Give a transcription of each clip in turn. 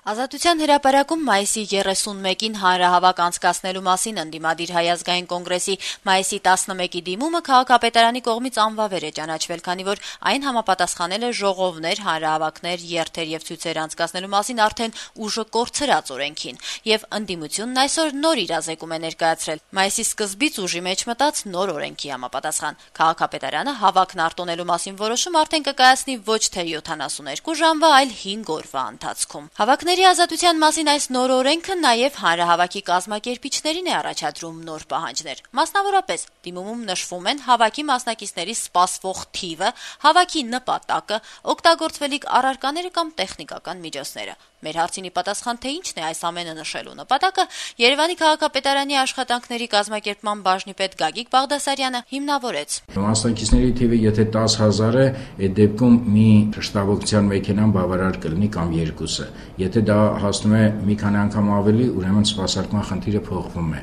Ազատության հրապարակում մայիսի 31-ին հանրահավաք անցկացնելու մասին ընդդիմադիր Հայ ազգային կոնգրեսի մայիսի 11-ի դիմումը քաղաքապետարանի կողմից անվավեր է ճանաչվել, քանի որ այն համապատասխանել է ժողովներ, հանրահավաքներ, երթեր եւ ցույցեր անցկացնելու մասին արդեն ուժը կորցրած օրենքին, եւ ընդդիմությունն այսօր նոր իրազեկում է ներկայացրել մայիսի սկզբից ուժի մեջ մտած նոր օրենքի համապատասխան։ Քաղաքապետարանը հավաքն արտոնելու մասին որոշում արդեն կկայացնի ոչ թե 72 ժամվա, այլ 5 օրվա ընթացքում։ Հավաքների ազատության մասին այս նոր օրենքը նաև հանրահավաքի կազմակերպիչներին է առաջադրում նոր պահանջներ։ Մասնավորապես, դիմումում նշվում են հավաքի մասնակիցների սպասվող թիվը, հավաքի նպատակը, օգտագործվելիք առարկաները կամ տեխնիկական միջոցները։ Մեր հարցինի պատասխան, թե ինչն է այս ամենը նշելու նպատակը, Երևանի քաղաքապետարանի աշխատանքների կազմակերպման բաժնի պետ Գագիկ Բաղդասարյանը հիմնավորեց։ Մասնակիցների թիվը եթե 10,000 է, այդ դեպքում մի շտաբօգնության մեքենան բավարար կլինի կամ երկուսը։ Եթե դա հասնում է մի քանի անգամ ավելի, ուրեմն սպասարկման խնդիրը փոխվում է։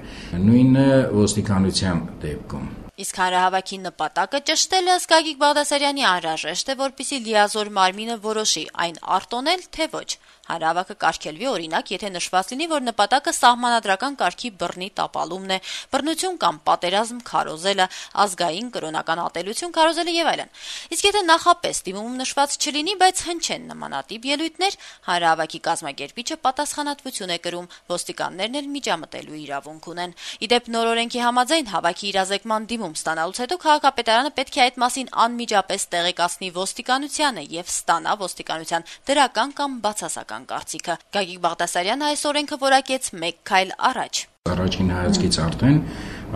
Նույնը ոստիկանության դեպքում։ Իսկ հանրահավաքի նպատակը ճշտելը Գագիկ Բաղդասարյանի անհրաժեշտ է, որպեսզի լիազոր մարմինը որոշի այն արտոնել, թե ոչ։ Հանրահավաքը կարգելվի օրինակ, եթե նշված լինի, որ նպատակը սահմանադրական կարգի բռնի տապալումն է, բռնություն կամ պատերազմ քարոզելը, ազգային կրոնական ատելություն քարոզելը եւ այլն։ Իսկ եթե նախապես դիմումում նշված չլինի, բայց հնչեն նմանատիպ ելույթներ, հանրահավաքի կազմակերպիչը պատասխանատվություն է կրում, ոստիկաններն էլ միջամտելու իրավունք ունեն։ Իդեպ նոր օրենքի համաձայն հավաքի իրազեկման դիմում ստանալուց հետո քաղաքապետարանը պետք է այդ մասին անմիջապես տեղեկացնի ոստիկանությանը եւ ստանա ոստիկանության դրական կամ բացասական կարծիքը։ Գագիկ Բաղդասարյանը այս օրենքը որակեց մեկ քայլ առաջ։ Առաջին հայացքից արդեն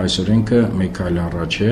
այս օրենքը մեկ քայլ առաջ է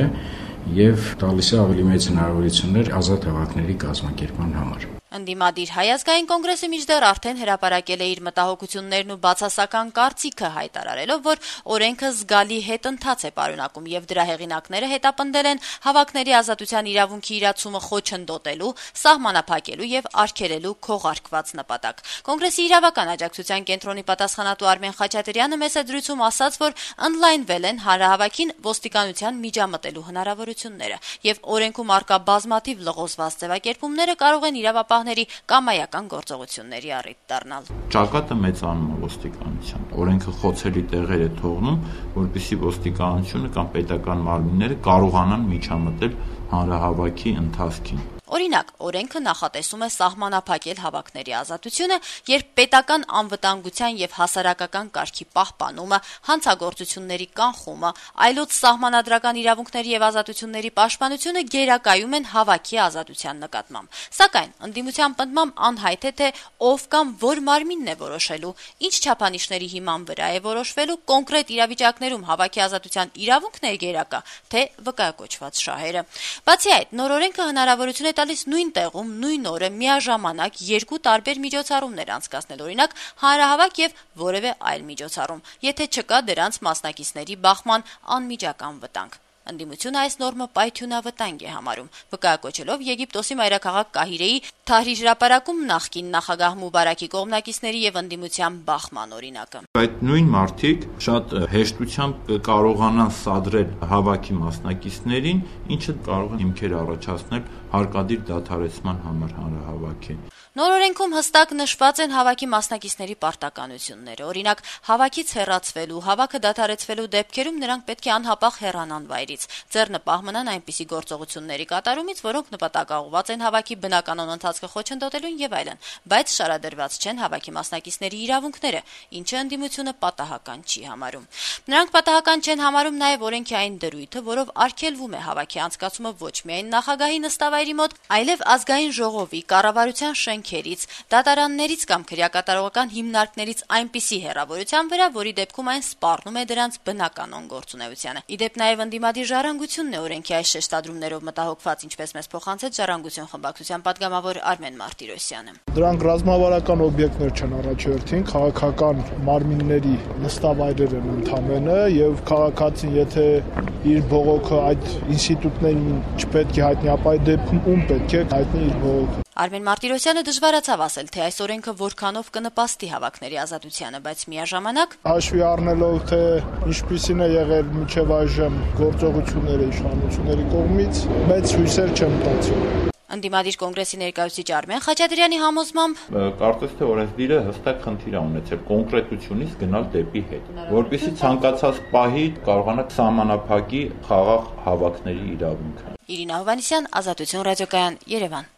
եւ տալիս է ավելի մեծ հնարավորություններ ազատ հավաքների կազմակերպման համար։ Ընդդիմադիր Հայ ազգային կոնգրեսը մինչդեռ արդեն հրապարակել է իր մտահոգություններն ու բացասական կարծիքը հայտարարելով, որ օրենքը զգալի հետընթաց է պարունակում եւ դրա հեղինակները հետապնդել են հավաքների ազատության իրավունքի իրացումը խոչընդոտելու, սահմանափակելու եւ արգելելու քողարկված նպատակ։ Կոնգրեսի իրավական աջակցության կենտրոնի պատասխանատու Արմեն Խաչատրյանը մեծ դրույթում ասաց, որ ընդլայնվել են հանրահավաքին ոստիկանության միջամտելու հնարավորությունները եւ օրենքում արկա բազմաթիվ լղոզված ձևակերպումները կարող են իրավապահ կամայական գործողությունների առիթ դառնալ։ Ճակատը մեծանում է ոստիկանության։ Օրենքը խոցելի տեղեր է թողնում, որպեսզի ոստիկանությունը կամ պետական մարմինները կարողանան միջամտել հանրահավաքի ընթացքին։ Օրինակ, օրենքը նախատեսում է սահմանափակել հավաքների ազատությունը, երբ պետական անվտանգության եւ հասարակական կարգի պահպանումը, հանցագործությունների կանխումը, այլոց սահմանադրական իրավունքների եւ ազատությունների պաշտպանությունը գերակայում են հավաքի ազատության նկատմամբ։ Սակայն ընդդիմության պնդմամբ անհայտ է, թե ով կամ որ մարմինն է որոշելու, ինչ չափանիշների հիման վրա է որոշվելու, կոնկրետ իրավիճակներում հավաքի ազատության իրավունքն է գերակա, թե վկայակոչված շահերը։ Բացի այդ, նոր օրենքը հնարավորություն է տալիս նույն տեղում, նույն օրը միաժամանակ երկու տարբեր միջոցառումներ անցկացնել, օրինակ հանրահավաք եւ որևէ այլ միջոցառում, եթե չկա դրանց մասնակիցների բախման անմիջական վտանգ։ Ընդդիմությունը այս նորմը պայթյունավտանգ է համարում, վկայակոչելով Եգիպտոսի մայրաքաղաք Կահիրեի Թահրիր հրապարակում նախկին նախագահ Մուբարակի կողմնակիցների եւ ընդդիմության բախման օրինակը։ Այդ նույն մարդիկ շատ հեշտությամբ կարողանան սադրել հավաքի մասնակիցներին, ինչը կարող է հիմքեր առաջացնել հարկադիր դադարեցման համար հանրահավաքի։ Նոր օրենքում հստակ նշված են հավաքի մասնակիցների պարտականությունները։ Օրինակ, հավաքից հեռացվելու, հավաքը դադարեցվելու դեպքերում նրանք պետք է անհապաղ հեռանան վայրից, ձեռնպահ մնան այնպիսի գործողությունների կատարումից, որոնք նպատակաուղղված են հավաքի բնականon ընթացքը խոչընդոտելուն եւ այլն, բայց շարադրված չեն հավաքի մասնակիցների իրավունքները, ինչը ընդդիմությունը պատահական չի համարում։ Նրանք պատահական չեն համարում նաեւ օրենքի այն դրույթը, որով արգելվում է հավաքի անցկացումը ոչ միայն նախագահի նստավայրի մոտ, այլև ազգային ժողովի, կառավարության շենքերից, դատարաններից կամ քրեակատարողական հիմնարկներից այնպիսի հեռավորության վրա, որի դեպքում այն սպառնում է դրանց բնականon գործունեությանը։ Իդեպ նաև ընդդիմադիր ժառանգությունն է օրենքի այս շեշտադրումներով մտահոգված, ինչպես մեզ փոխանցեց Ժառանգություն խմբակցության падգամավոր Արմեն Մարտիրոսյանը։ Դրանք ռազմավարական օբյեկտներ չեն առաջերտին, քաղաքական մարմինների նստավայրեր են ընդամենը եւ քաղաքացին, եթե իր բողոքը այդ ինստիտուտներին չպետք է հայտնի, ապա այդ դեպքում ում պետք է հայտնի իր բողոքը։ Արմեն Մարտիրոսյանը դժվարացավ ասել, թե այս օրենքը որքանով կնպաստի հավաքների ազատությանը, բայց միաժամանակ հաշվի առնելով, թե ինչպիսին է եղել մինչև այժմ գործողությունները իշխանությունների կողմից, մեծ հույսեր չեմ տածում։ Ընդդիմադիր կոնգրեսի ներկայացուցիչ Արմեն Խաչատրյանի համոզմամբ կարծես թե օրենսդիրը հստակ խնդիր է ունեցել կոնկրետությունից գնալ դեպի հետ, որպեսզի ցանկացած պահի կարողանա սահմանափակի խաղաղ հավաքների իրավունքը։ Իրինա Հովհաննիսյան, Ազատություն ռադիոկայան, Երևան։